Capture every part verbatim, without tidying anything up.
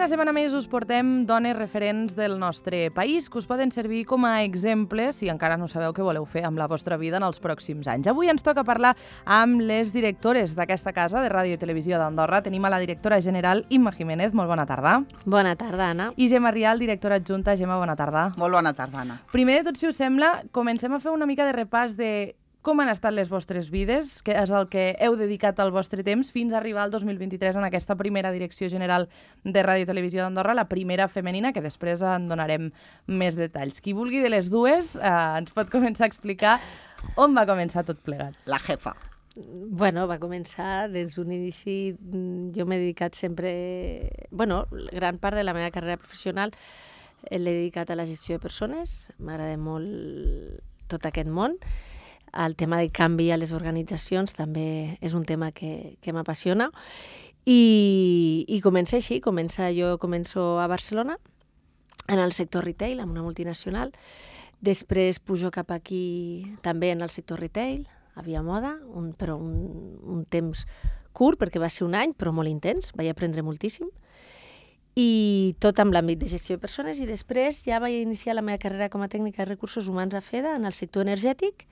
setmana més us portem dones referents del nostre país que us poden servir com a exemples si encara no sabeu què voleu fer amb la vostra vida en els pròxims anys. Avui ens toca parlar amb les directores d'aquesta casa de Ràdio i Televisió d'Andorra. Tenim a la directora general Imma Jiménez. Molt bona tarda. Bona tarda, Anna. I Gemma Rial, directora adjunta. Gemma, bona tarda. Molt bona tarda, Anna. Primer de tot, si us sembla, comencem a fer una mica de repàs de com han estat les vostres vides, que és el que heu dedicat al vostre temps, fins a arribar al dos mil vint-i-tres en aquesta primera direcció general de Ràdio i Televisió d'Andorra, la primera femenina, que després en donarem més detalls. Qui vulgui de les dues eh, ens pot començar a explicar on va començar tot plegat. La jefa. Bueno, va començar des d'un inici. Jo m'he dedicat sempre... Bueno, gran part de la meva carrera professional l'he dedicat a la gestió de persones. M'agrada molt tot aquest món. El tema de canvi a les organitzacions també és un tema que, que m'apassiona. I, i comença així. Comença, jo començo a Barcelona, en el sector retail, amb una multinacional. Després pujo cap aquí també en el sector retail, a Via Moda, un, però un, un temps curt, perquè va ser un any, però molt intens, vaig aprendre moltíssim. I tot amb l'àmbit de gestió de persones, i després ja vaig iniciar la meva carrera com a tècnica de recursos humans a FEDA, en el sector energètic,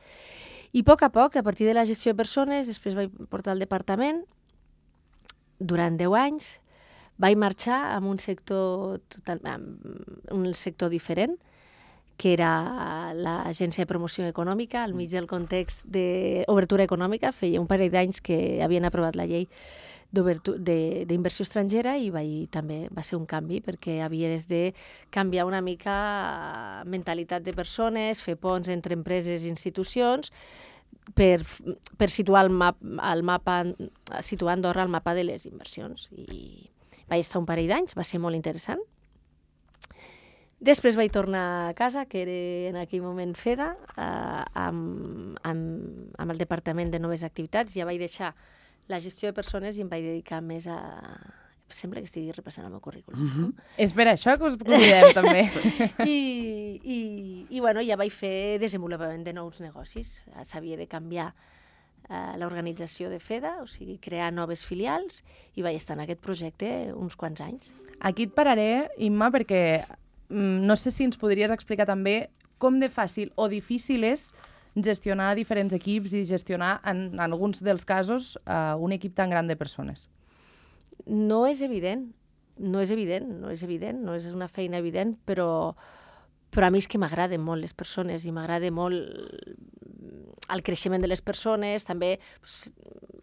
i a poc a poc, a partir de la gestió de persones, després vaig portar al departament, durant deu anys, vaig marxar amb un sector, total, amb un sector diferent, que era l'Agència de Promoció Econòmica, al mig del context d'obertura econòmica. Feia un parell d'anys que havien aprovat la llei d'inversió estrangera i vaig, també va ser un canvi perquè havies de canviar una mica mentalitat de persones, fer ponts entre empreses i institucions per, per situar el, map, el mapa, situar Andorra al mapa de les inversions. I vaig estar un parell d'anys, va ser molt interessant. Després vaig tornar a casa, que era en aquell moment FEDA, eh, amb, amb, amb el Departament de Noves Activitats. Ja vaig deixar la gestió de persones i em vaig dedicar més a... Sembla que estigui repassant el meu currículum. Mm-hmm. És per això que us convidem, també. I, i, i bueno, ja vaig fer desenvolupament de nous negocis. S'havia de canviar eh, l'organització de FEDA, o sigui, crear noves filials, i vaig estar en aquest projecte uns quants anys. Aquí et pararé, Imma, perquè mm, no sé si ens podries explicar també com de fàcil o difícil és gestionar diferents equips i gestionar, en, en alguns dels casos, uh, un equip tan gran de persones. No és evident, no és evident, no és evident, no és una feina evident, però, però a mi és que m'agraden molt les persones i m'agrada molt el creixement de les persones. També, doncs,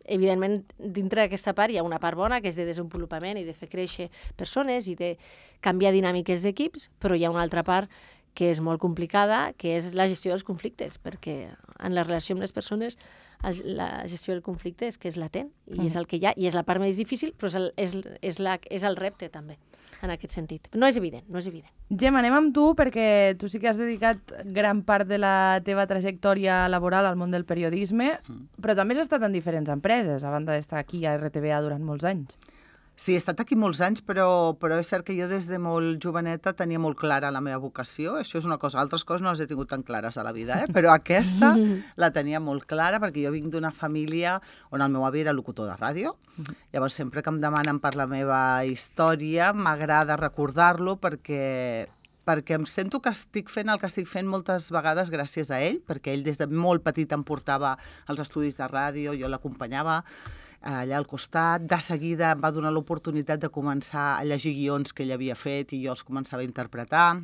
evidentment, dintre d'aquesta part hi ha una part bona, que és de desenvolupament i de fer créixer persones i de canviar dinàmiques d'equips, però hi ha una altra part que és molt complicada, que és la gestió dels conflictes, perquè en la relació amb les persones la gestió del conflicte és que és latent, i mm. és el que hi ha, i és la part més difícil, però és el, és, és, la, és el repte també, en aquest sentit. No és evident, no és evident. Gemma, anem amb tu, perquè tu sí que has dedicat gran part de la teva trajectòria laboral al món del periodisme, mm. però també has estat en diferents empreses, a banda d'estar aquí a R T V A durant molts anys. Sí, he estat aquí molts anys, però, però és cert que jo des de molt joveneta tenia molt clara la meva vocació. Això és una cosa, altres coses no les he tingut tan clares a la vida, eh? Però aquesta la tenia molt clara perquè jo vinc d'una família on el meu avi era locutor de ràdio. Llavors, sempre que em demanen per la meva història, m'agrada recordar-lo perquè... perquè em sento que estic fent el que estic fent moltes vegades gràcies a ell, perquè ell des de molt petit em portava als estudis de ràdio, jo l'acompanyava allà al costat. De seguida em va donar l'oportunitat de començar a llegir guions que ell havia fet i jo els començava a interpretar.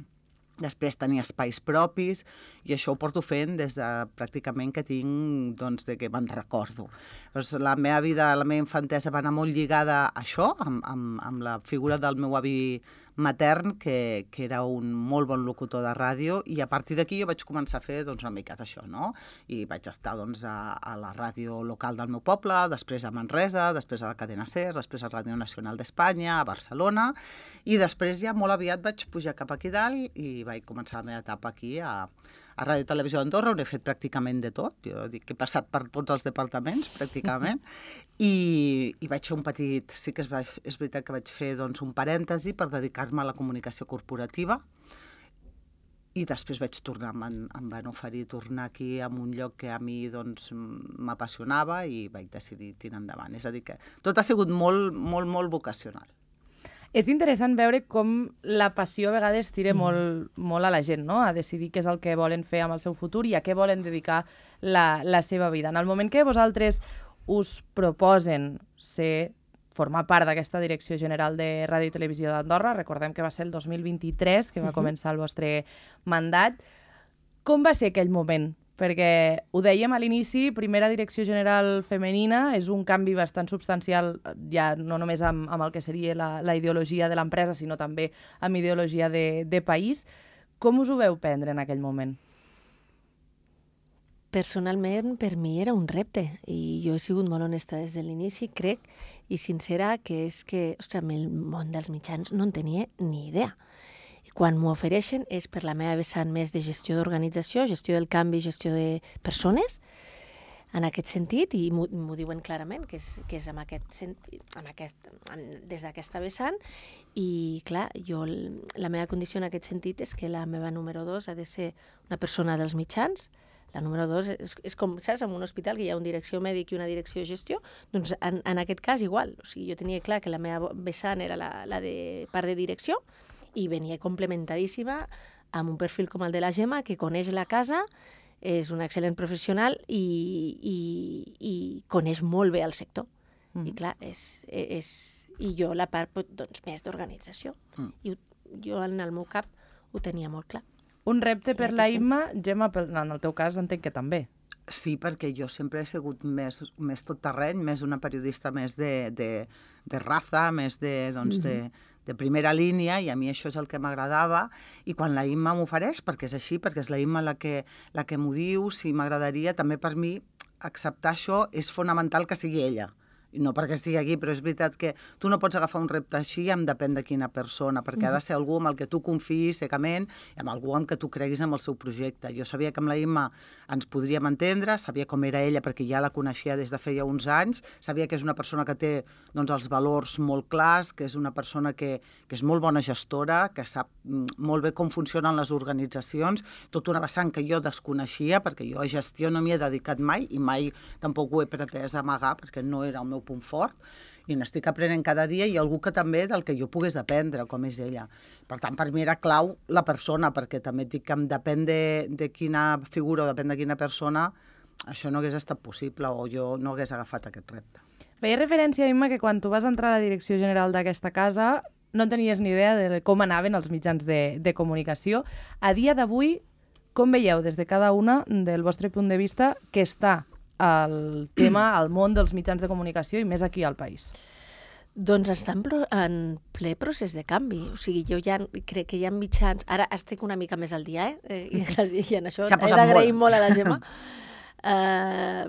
Després tenia espais propis i això ho porto fent des de pràcticament que tinc, doncs, de que me'n recordo. Doncs la meva vida, la meva infantesa va anar molt lligada a això, amb, amb, amb la figura del meu avi matern, que, que era un molt bon locutor de ràdio, i a partir d'aquí jo vaig començar a fer, doncs, una mica d'això, no? I vaig estar, doncs, a, a la ràdio local del meu poble, després a Manresa, després a la cadena SER, després a Ràdio Nacional d'Espanya, a Barcelona, i després ja molt aviat vaig pujar cap aquí dalt i vaig començar la meva etapa aquí a, a Ràdio i Televisió d'Andorra, on he fet pràcticament de tot. Jo dic que he passat per tots els departaments, pràcticament, i, i vaig fer un petit... Sí que és, és veritat que vaig fer, doncs, un parèntesi per dedicar-me a la comunicació corporativa, i després vaig tornar, em, em van oferir tornar aquí a un lloc que a mi, doncs, m'apassionava i vaig decidir tirar endavant. És a dir, que tot ha sigut molt, molt, molt vocacional. És interessant veure com la passió a vegades tira mm. molt, molt a la gent, no? A decidir què és el que volen fer amb el seu futur i a què volen dedicar la, la seva vida. En el moment que vosaltres us proposen ser, formar part d'aquesta Direcció General de Ràdio i Televisió d'Andorra, recordem que va ser el dos mil vint-i-tres que va uh-huh. començar el vostre mandat, com va ser aquell moment? Perquè ho dèiem a l'inici, primera direcció general femenina, és un canvi bastant substancial, ja no només amb, amb el que seria la, la ideologia de l'empresa, sinó també amb ideologia de, de país. Com us ho veu prendre en aquell moment? Personalment, per mi era un repte, i jo he sigut molt honesta des de l'inici, crec, i sincera, que és que, ostres, el món dels mitjans no en tenia ni idea. Quan m'ho ofereixen és per la meva vessant més de gestió d'organització, gestió del canvi, gestió de persones, en aquest sentit, i m'ho diuen clarament, que és, que és amb aquest sentit, amb aquest, des d'aquesta vessant, i clar, jo, la meva condició en aquest sentit és que la meva número dos ha de ser una persona dels mitjans. La número dos és, és com, saps, en un hospital que hi ha una direcció mèdic i una direcció de gestió, doncs en, en aquest cas igual, o sigui, jo tenia clar que la meva vessant era la, la de part de direcció, i venia complementadíssima amb un perfil com el de la Gemma, que coneix la casa, és un excel·lent professional i, i, i coneix molt bé el sector. Mm. I clar, és, és, i jo la part doncs, més d'organització. Mm. I jo en el meu cap ho tenia molt clar. Un repte per la Imma, Gemma, en el teu cas entenc que també. Sí, perquè jo sempre he sigut més, més tot terreny, més una periodista més de, de, de raza, més de, doncs, mm-hmm. de, de primera línia, i a mi això és el que m'agradava, i quan la Imma m'ofereix, perquè és així, perquè és la Imma la que, la que m'ho diu, si m'agradaria, també per mi acceptar això és fonamental que sigui ella. No perquè estigui aquí, però és veritat que tu no pots agafar un repte així amb depèn de quina persona, perquè mm. ha de ser algú amb el que tu confiïs secament i amb algú amb què tu creguis en el seu projecte. Jo sabia que amb la Imma ens podríem entendre, sabia com era ella perquè ja la coneixia des de feia uns anys, sabia que és una persona que té doncs, els valors molt clars, que és una persona que, que és molt bona gestora, que sap molt bé com funcionen les organitzacions, tot una vessant que jo desconeixia, perquè jo a gestió no m'hi he dedicat mai i mai tampoc ho he pretès amagar, perquè no era el meu punt fort, i n'estic aprenent cada dia, i algú que també del que jo pogués aprendre, com és ella. Per tant, per mi era clau la persona, perquè també et dic que depèn de, de quina figura o depèn de quina persona, això no hagués estat possible o jo no hagués agafat aquest repte. Feia referència, Imma, que quan tu vas entrar a la direcció general d'aquesta casa no tenies ni idea de com anaven els mitjans de, de comunicació. A dia d'avui, com veieu des de cada una del vostre punt de vista que està el tema, el món dels mitjans de comunicació i més aquí al país? Doncs està en, en ple procés de canvi. O sigui, jo ja crec que hi ha mitjans... Ara estic una mica més al dia, eh? I, i en això he d'agrair molt a la Gemma. Uh,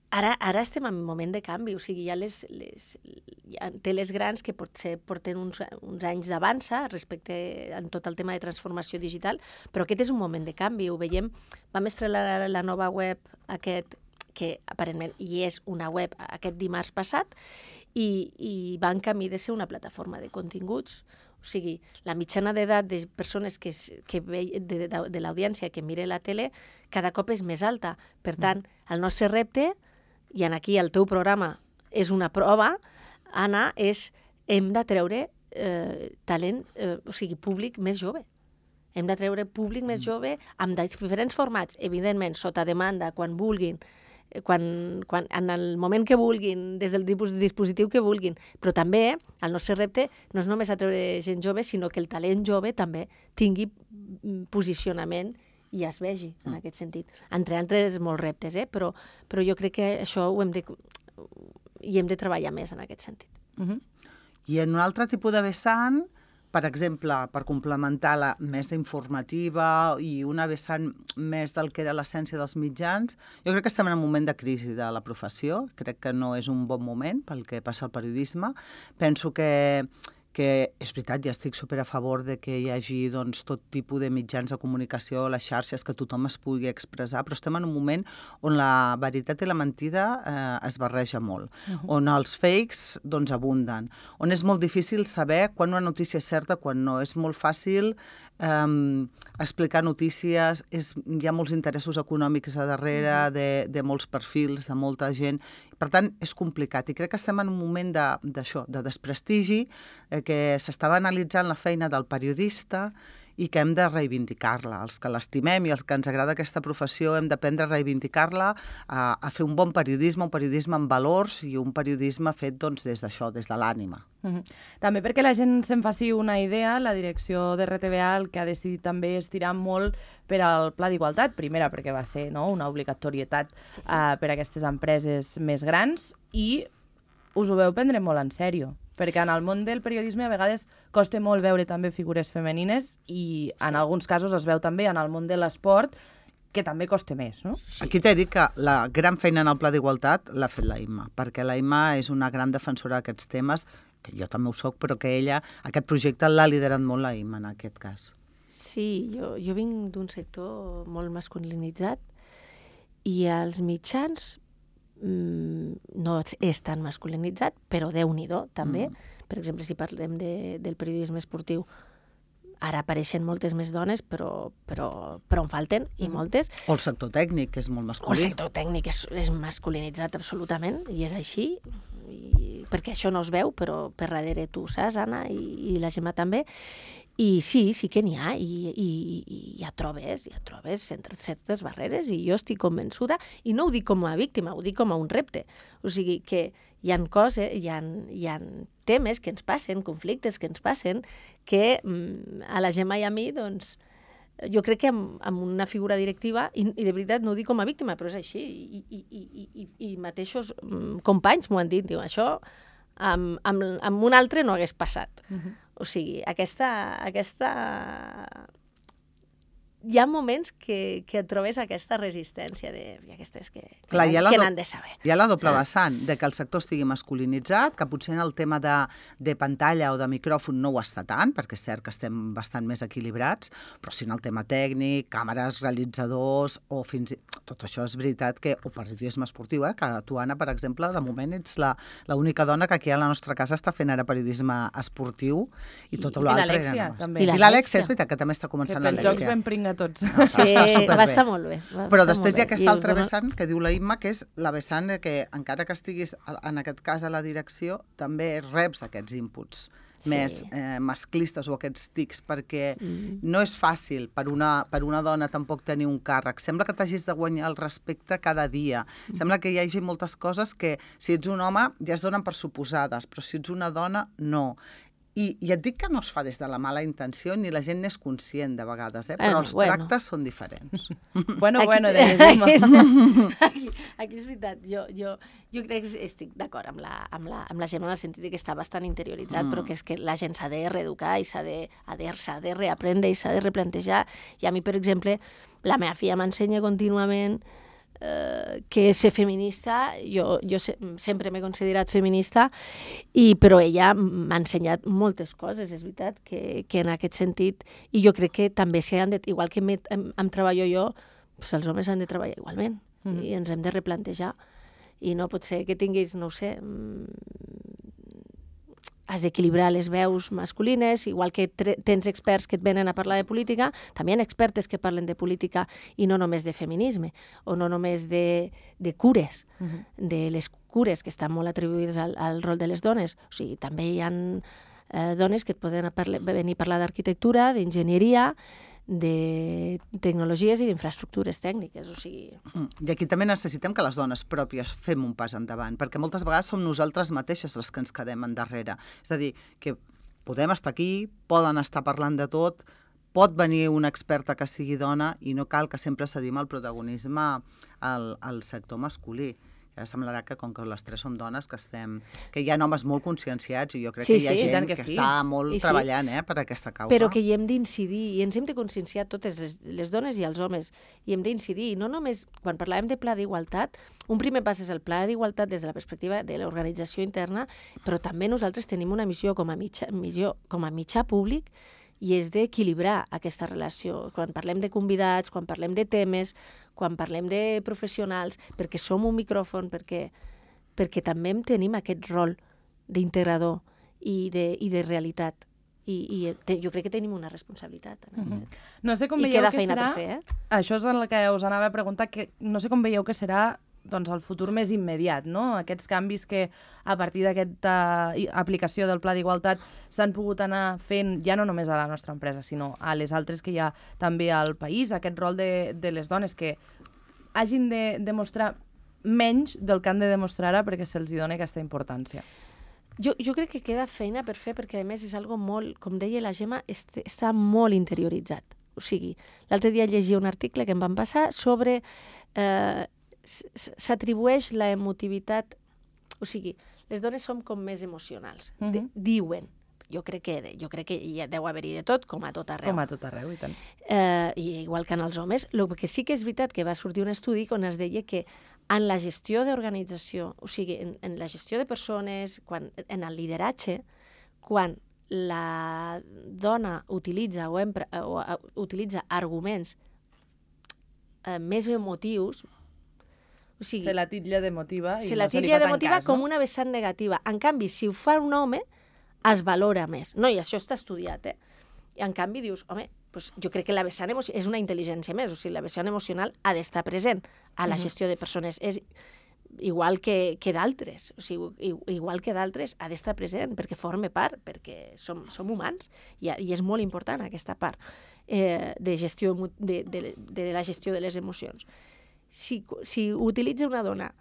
ara, ara estem en un moment de canvi. O sigui, hi ha les, les, hi ha teles grans que potser porten uns, uns anys d'avança respecte en tot el tema de transformació digital, però aquest és un moment de canvi. Ho veiem, vam estrenar la, la nova web aquest, que aparentment hi és una web aquest dimarts passat, i, i va en camí de ser una plataforma de continguts. O sigui, la mitjana d'edat de persones que, que ve, de, de, de l'audiència que mire la tele cada cop és més alta. Per tant, el nostre repte, i en aquí el teu programa és una prova, Anna, és hem de treure eh, talent, eh, o sigui, públic més jove. Hem de treure públic més jove amb diferents formats, evidentment, sota demanda, quan vulguin, quan, quan, en el moment que vulguin, des del dispositiu que vulguin. Però també el nostre repte no és només atreure gent jove, sinó que el talent jove també tingui posicionament i es vegi en aquest sentit. Entre altres molts reptes, eh? però, però jo crec que això ho hem de, hi hem de treballar més en aquest sentit. Uh-huh. I en un altre tipus de vessant, per exemple, per complementar la més informativa i una vessant més del que era l'essència dels mitjans, jo crec que estem en un moment de crisi de la professió, crec que no és un bon moment pel que passa al periodisme. Penso que que és veritat, ja estic super a favor de que hi hagi doncs, tot tipus de mitjans de comunicació, les xarxes, que tothom es pugui expressar, però estem en un moment on la veritat i la mentida eh, es barreja molt, uh-huh. on els fakes doncs, abunden, on és molt difícil saber quan una notícia és certa, quan no. És molt fàcil um, explicar notícies, és, hi ha molts interessos econòmics a darrere, de, de molts perfils, de molta gent. Per tant, és complicat. I crec que estem en un moment d'això, de, de desprestigi, eh, que s'estava analitzant la feina del periodista i que hem de reivindicar-la. Els que l'estimem i els que ens agrada aquesta professió hem d'aprendre a reivindicar-la, a, a fer un bon periodisme, un periodisme amb valors i un periodisme fet doncs, des d'això, des de l'ànima. Mm-hmm. També perquè la gent se'n faci una idea, la direcció de R T V A el que ha decidit també és tirar molt per al Pla d'Igualtat, primera perquè va ser no, una obligatorietat uh, per a aquestes empreses més grans i us ho veu prendre molt en sèrio, perquè en el món del periodisme a vegades costa molt veure també figures femenines i en sí. alguns casos es veu també en el món de l'esport que també costa més, no? Sí. Aquí t'he dit que la gran feina en el Pla d'Igualtat l'ha fet la Imma, perquè la Imma és una gran defensora d'aquests temes, que jo també ho soc, però que ella, aquest projecte l'ha liderat molt la Imma en aquest cas. Sí, jo, jo vinc d'un sector molt masculinitzat i els mitjans mm, no és tan masculinitzat, però Déu-n'hi-do també. Mm. Per exemple, si parlem de, del periodisme esportiu, ara apareixen moltes més dones, però, però, però en falten, i moltes. O el sector tècnic, que és molt masculí. El sector tècnic és, és masculinitzat absolutament, i és així, i, perquè això no es veu, però per darrere tu saps, Anna, i, i la Gemma també. I sí, sí que n'hi ha, i, i, i ja trobes, ja trobes entre certes barreres, i jo estic convençuda, i no ho dic com a víctima, ho dic com a un repte. O sigui que hi ha coses, hi ha, hi ha temes que ens passen, conflictes que ens passen, que mm, a la Gemma i a mi, doncs, jo crec que amb, amb una figura directiva, i, i de veritat no ho dic com a víctima, però és així, i, i, i, i, i mateixos mm, companys m'ho han dit, diu, això amb, amb, amb un altre no hagués passat. Uh-huh. O sigui, aquesta, aquesta... Hi ha moments que, que et trobes aquesta resistència de i aquestes que, que, Clar, que do... n'han de saber. Hi ha la doble vessant de que el sector estigui masculinitzat, que potser en el tema de, de pantalla o de micròfon no ho està tant, perquè és cert que estem bastant més equilibrats, però sí en el tema tècnic, càmeres, realitzadors, o fins i tot això és veritat que, o periodisme esportiu, eh, que tu, Anna, per exemple, de moment ets l'única dona que aquí a la nostra casa està fent ara periodisme esportiu i tot l'altre. I l'Alexia, no. també. I l'Alexia, és veritat, que també està començant l'Alexia. Que pels jocs ben pringa tots. No, sí, està va estar molt bé. Va Però estar després hi ha aquesta I altra dona... vessant que diu la Imma, que és la vessant que, encara que estiguis, en aquest cas, a la direcció, també reps aquests inputs sí. més eh, masclistes o aquests tics, perquè mm. no és fàcil per una, per una dona tampoc tenir un càrrec. Sembla que t'hagis de guanyar el respecte cada dia. Mm. Sembla que hi hagi moltes coses que, si ets un home, ja es donen per suposades, però si ets una dona, no. I, I et dic que no es fa des de la mala intenció, ni la gent n'és conscient de vegades, eh? però bueno, els bueno. tractes són diferents. bueno, aquí, bueno, de aquí, aquí és veritat, jo, jo, jo crec que estic d'acord amb la, amb, la, amb la Gemma en el sentit que està bastant interioritzat, mm. però que és que la gent s'ha de reeducar i s'ha de, de, de reaprendre i s'ha de replantejar. I a mi, per exemple, la meva filla m'ensenya contínuament eh, que ser feminista, jo, jo se, sempre m'he considerat feminista, i, però ella m'ha ensenyat moltes coses, és veritat, que, que en aquest sentit, i jo crec que també s'hi han de, igual que em, em treballo jo, doncs els homes han de treballar igualment, mm-hmm. i ens hem de replantejar, i no pot ser que tinguis, no ho sé, has d'equilibrar les veus masculines, igual que tens experts que et venen a parlar de política, també hi ha expertes que parlen de política i no només de feminisme, o no només de, de cures, uh-huh. de les cures que estan molt atribuïdes al, al rol de les dones. O sigui, també hi ha eh, dones que et poden a parlar, venir a parlar d'arquitectura, d'enginyeria, de tecnologies i d'infraestructures tècniques, o sigui... I aquí també necessitem que les dones pròpies fem un pas endavant, perquè moltes vegades som nosaltres mateixes les que ens quedem endarrere. És a dir, que podem estar aquí, poden estar parlant de tot, pot venir una experta que sigui dona i no cal que sempre cedim el protagonisme al, al sector masculí. Ara semblarà que, com que les tres som dones, que estem, que hi ha homes molt conscienciats i jo crec sí, que hi ha sí, gent que, que sí. està molt I treballant sí. eh, per aquesta causa. Però que hi hem d'incidir, i ens hem de conscienciar totes les, les dones i els homes, i hem d'incidir, i no només, quan parlàvem de pla d'igualtat, un primer pas és el pla d'igualtat des de la perspectiva de l'organització interna, però també nosaltres tenim una missió com a mitjà, missió, com a mitjà públic, i és d'equilibrar aquesta relació. Quan parlem de convidats, quan parlem de temes, quan parlem de professionals, perquè som un micròfon, perquè, perquè també tenim aquest rol d'integrador i de, i de realitat. i, i te, jo crec que tenim una responsabilitat. En Mhm. aquest sentit. No sé com I veieu queda que feina serà... per fer, eh? Això és el que us anava a preguntar, que no sé com veieu que serà doncs, el futur més immediat, no? Aquests canvis que a partir d'aquesta i- aplicació del Pla d'Igualtat s'han pogut anar fent ja no només a la nostra empresa, sinó a les altres que hi ha també al país, aquest rol de, de les dones que hagin de demostrar menys del que han de demostrar ara perquè se'ls doni aquesta importància. Jo, jo crec que queda feina per fer, perquè a més és algo molt, com deia la Gemma, est està molt interioritzat. O sigui, l'altre dia llegia un article que em van passar sobre... Eh, s'atribueix la emotivitat... O sigui, les dones som com més emocionals. Uh -huh. Diuen. Jo crec que jo crec que hi deu haver-hi de tot, com a tot arreu. Com a tot arreu, i tant. Eh, i igual que en els homes. El que sí que és veritat que va sortir un estudi on es deia que en la gestió d'organització, o sigui, en, en la gestió de persones, quan, en el lideratge, quan la dona utilitza o, empra, o uh, utilitza arguments uh, més emotius, o sigui, Se la titlla d'emotiva i se no la se li titlla fa tant d'emotiva cas, com no? una vessant negativa. En canvi, si ho fa un home, es valora més. No, i això està estudiat, eh? I en canvi dius, home, pues jo crec que la vessant emocional és una intel·ligència més, o sigui, la vessant emocional ha d'estar present a la gestió de persones. És igual que, que d'altres, o sigui, igual que d'altres ha d'estar present perquè forma part, perquè som, som humans i, i és molt important aquesta part eh, de, gestió, de, de, de la gestió de les emocions. Si, si utilitza una dona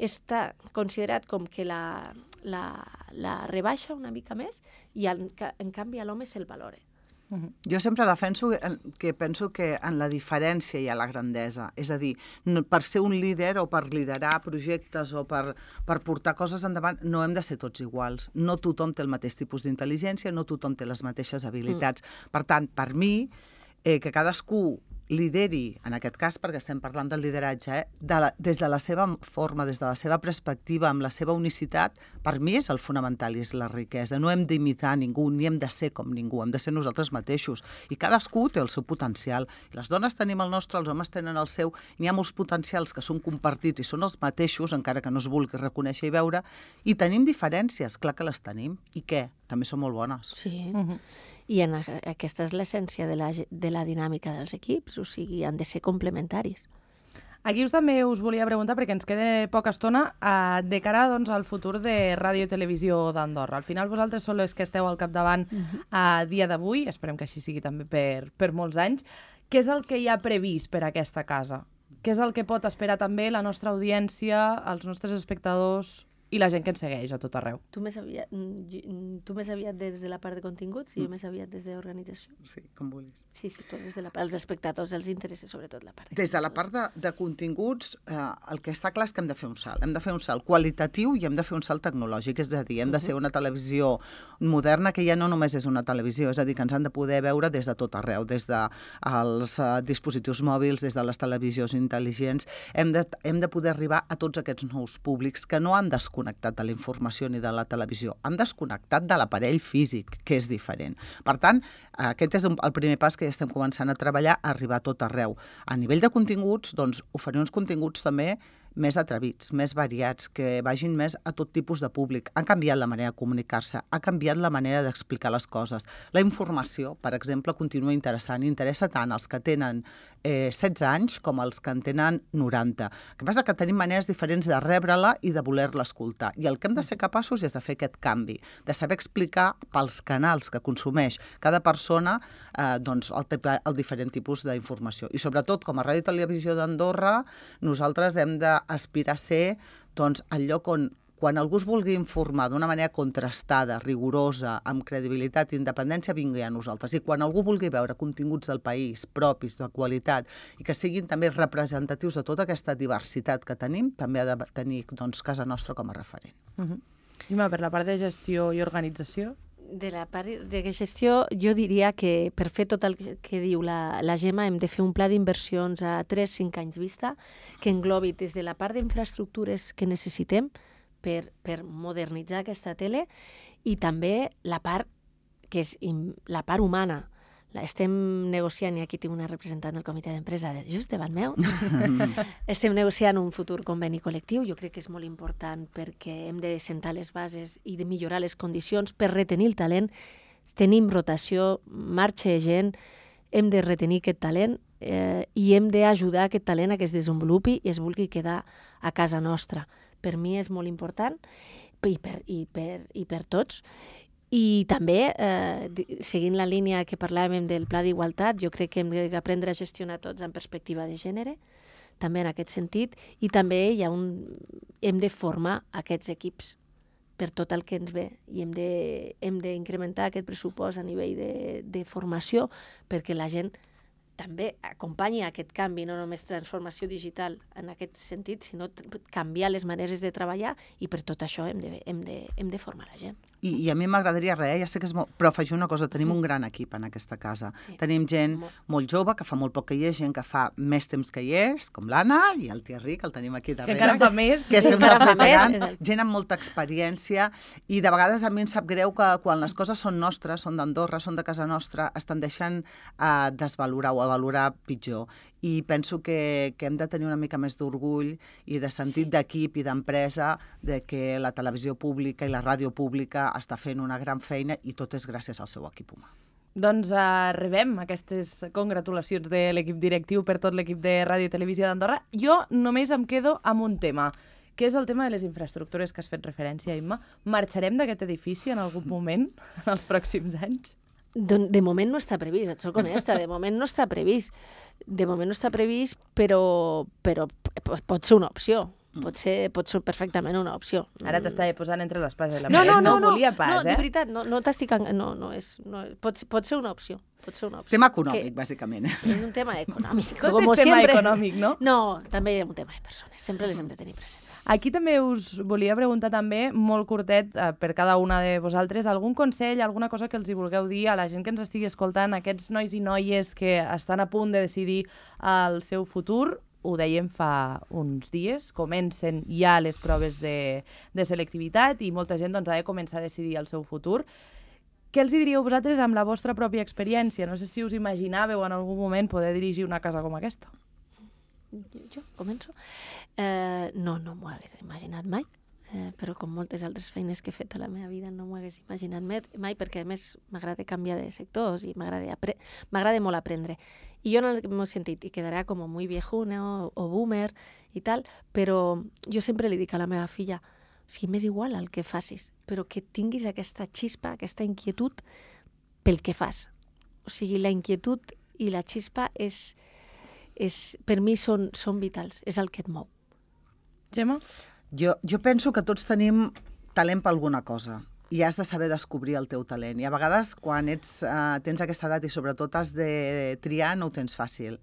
està considerat com que la, la, la rebaixa una mica més i en, en canvi a l'home se'l valora. Jo sempre defenso que penso que en la diferència hi ha la grandesa. És a dir, no, per ser un líder o per liderar projectes o per, per portar coses endavant no hem de ser tots iguals. No tothom té el mateix tipus d'intel·ligència, no tothom té les mateixes habilitats. Mm. Per tant, per mi, eh, que cadascú lideri, en aquest cas perquè estem parlant del lideratge, eh, de la, des de la seva forma, des de la seva perspectiva, amb la seva unicitat, per mi és el fonamental i és la riquesa. No hem d'imitar ningú, ni hem de ser com ningú, hem de ser nosaltres mateixos. I cadascú té el seu potencial. I les dones tenim el nostre, els homes tenen el seu. N'hi ha molts potencials que són compartits i són els mateixos, encara que no es vulgui reconèixer i veure. I tenim diferències, clar que les tenim. I què? També són molt bones. Sí. Uh-huh. I en, aquesta és l'essència de, la, de la dinàmica dels equips, o sigui, han de ser complementaris. Aquí us també us volia preguntar, perquè ens queda poca estona, eh, de cara doncs, al futur de Ràdio i Televisió d'Andorra. Al final vosaltres sou els que esteu al capdavant uh-huh. a dia d'avui, esperem que així sigui també per, per molts anys. Què és el que hi ha previst per a aquesta casa? Què és el que pot esperar també la nostra audiència, els nostres espectadors i la gent que ens segueix a tot arreu? Tu més aviat, tu més aviat des de la part de continguts i jo més aviat des d'organització. Sí, com vulguis. Sí, sí, tu des de la part dels espectadors els interessa sobretot la part de Des de la part de, de continguts, eh, el que està clar és que hem de fer un salt. Hem de fer un salt qualitatiu i hem de fer un salt tecnològic. És a dir, hem de ser una televisió moderna que ja no només és una televisió, és a dir, que ens han de poder veure des de tot arreu, des dels uh, dispositius mòbils, des de les televisions intel·ligents. Hem de, hem de poder arribar a tots aquests nous públics que no han desconnectat de la informació ni de la televisió, han desconnectat de l'aparell físic, que és diferent. Per tant, aquest és el primer pas que ja estem començant a treballar, a arribar a tot arreu. A nivell de continguts, doncs, oferir uns continguts també més atrevits, més variats, que vagin més a tot tipus de públic. Ha canviat la manera de comunicar-se, ha canviat la manera d'explicar les coses. La informació, per exemple, continua interessant. Interessa tant els que tenen eh, setze anys com els que en tenen noranta. El que passa que tenim maneres diferents de rebre-la i de voler-la escoltar. I el que hem de ser capaços és de fer aquest canvi, de saber explicar pels canals que consumeix cada persona eh, doncs, el, el diferent tipus d'informació. I sobretot, com a Ràdio i Televisió d'Andorra, nosaltres hem de aspirar a ser doncs, el lloc on quan algú es vulgui informar d'una manera contrastada, rigorosa, amb credibilitat i independència, vingui a nosaltres. I quan algú vulgui veure continguts del país propis, de qualitat, i que siguin també representatius de tota aquesta diversitat que tenim, també ha de tenir doncs, casa nostra com a referent. Uh-huh. Ima, per la part de gestió i organització? De la part de gestió, jo diria que per fer tot el que diu la, la Gemma hem de fer un pla d'inversions a tres a cinc anys vista que englobi des de la part d'infraestructures que necessitem per, per modernitzar aquesta tele i també la part que és la part humana. La estem negociant, i aquí tinc una representant del comitè d'empresa just davant meu, estem negociant un futur conveni col·lectiu. Jo crec que és molt important perquè hem de sentar les bases i de millorar les condicions per retenir el talent tenim rotació, marxa gent, hem de retenir aquest talent eh, i hem d'ajudar aquest talent a que es desenvolupi i es vulgui quedar a casa nostra. Per mi és molt important i per, i per, i per tots. I també, eh, seguint la línia que parlàvem del pla d'igualtat, jo crec que hem d'aprendre a gestionar tots en perspectiva de gènere, també en aquest sentit, i també hi ha un, hem de formar aquests equips per tot el que ens ve i hem de, hem d'incrementar aquest pressupost a nivell de, de formació perquè la gent també acompanyi aquest canvi, no només transformació digital en aquest sentit, sinó canviar les maneres de treballar i per tot això hem de, hem de, hem de formar la gent. I, i a mi m'agradaria res, ja sé que és molt... però afegir una cosa, tenim un gran equip en aquesta casa. Sí. Tenim gent molt. molt jove, que fa molt poc que hi és, gent que fa més temps que hi és, com l'Anna i el Thierry, que el tenim aquí darrere. Que encara fa més. Que són els veterans, gent amb molta experiència, i de vegades a mi em sap greu que quan les coses són nostres, són d'Andorra, són de casa nostra, estan deixant a desvalorar o a valorar pitjor. I penso que, que hem de tenir una mica més d'orgull i de sentit d'equip i d'empresa de que la televisió pública i la ràdio pública està fent una gran feina i tot és gràcies al seu equip humà. Doncs uh, rebem aquestes congratulacions de l'equip directiu per tot l'equip de Ràdio i Televisió d'Andorra. Jo només em quedo amb un tema, que és el tema de les infraestructures que has fet referència, Imma. Marxarem d'aquest edifici en algun moment, en els pròxims anys? De, de moment no està previst, et soc honesta, de moment no està previst. De moment no està previst, però, però pot ser una opció. Pot ser, pot ser perfectament una opció. Ara t'estava posant entre l'espasa i la no, paret. no, no, no, no volia pas, no, eh? de veritat, no, no t'estic... No, no és, no, pot, pot ser una opció. Pot ser una opció. Tema econòmic, que bàsicament. És un tema econòmic. Tot és tema siempre. econòmic, no? No, també hi ha un tema de persones. Sempre les hem de tenir presents. Aquí també us volia preguntar també, molt curtet, eh, per cada una de vosaltres, algun consell, alguna cosa que els hi vulgueu dir a la gent que ens estigui escoltant, aquests nois i noies que estan a punt de decidir el seu futur. Ho dèiem fa uns dies, comencen ja les proves de, de selectivitat i molta gent doncs, ha de començar a decidir el seu futur. Què els diríeu vosaltres amb la vostra pròpia experiència? No sé si us imaginàveu en algun moment poder dirigir una casa com aquesta. Jo, jo començo? Eh, no, no m'ho hagués imaginat mai, eh, però com moltes altres feines que he fet a la meva vida no m'ho hagués imaginat mai, perquè a més m'agrada canviar de sectors i m'agrada apre- m'agrada molt aprendre. I jo en el meu sentit, i quedarà com muy viejuna o, o boomer i tal, però jo sempre li dic a la meva filla, o sigui, m'és igual el que facis, però que tinguis aquesta xispa, aquesta inquietud pel que fas. O sigui, la inquietud i la xispa és, és per mi són, són vitals, és el que et mou. Gemma? Jo, jo penso que tots tenim talent per alguna cosa i has de saber descobrir el teu talent. I a vegades, quan ets, uh, tens aquesta edat i sobretot has de triar, no ho tens fàcil.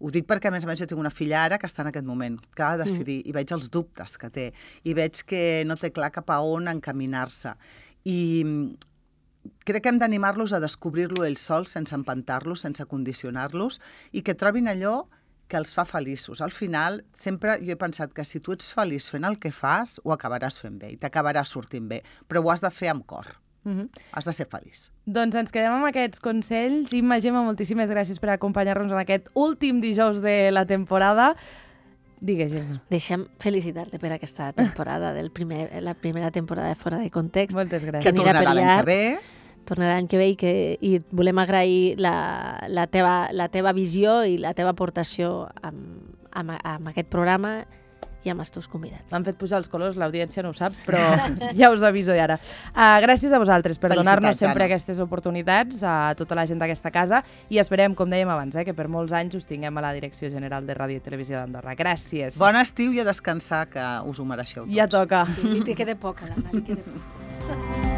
Ho dic perquè, a més a més, jo tinc una filla ara que està en aquest moment, que ha de decidir, mm. i veig els dubtes que té, i veig que no té clar cap a on encaminar-se. I crec que hem d'animar-los a descobrir-lo ells sols, sense empantar-los, sense condicionar-los, i que trobin allò que els fa feliços. Al final, sempre jo he pensat que si tu ets feliç fent el que fas, ho acabaràs fent bé i t'acabarà sortint bé, però ho has de fer amb cor. Mm-hmm. Has de ser feliç. Doncs ens quedem amb aquests consells. Imma, Gemma, moltíssimes gràcies per acompanyar-nos en aquest últim dijous de la temporada. Digues, Gemma. Deixa'm felicitar-te per aquesta temporada, del primer, la primera temporada de Fora de Context. Moltes gràcies. Que tornarà l'any que ve. Tornarà l'any que ve i, que, i volem agrair la, la, teva, la teva visió i la teva aportació amb, amb, amb aquest programa i amb els teus convidats. M'han fet pujar els colors, l'audiència no ho sap, però ja us aviso ara. Uh, gràcies a vosaltres per donar-nos sempre Anna. Aquestes oportunitats, a tota la gent d'aquesta casa, i esperem, com dèiem abans, eh, que per molts anys us tinguem a la Direcció General de Ràdio i Televisió d'Andorra. Gràcies. Bon estiu i a descansar, que us ho mereixeu tots. Ja toca. Sí, li queda poc, Anna, li queda poc.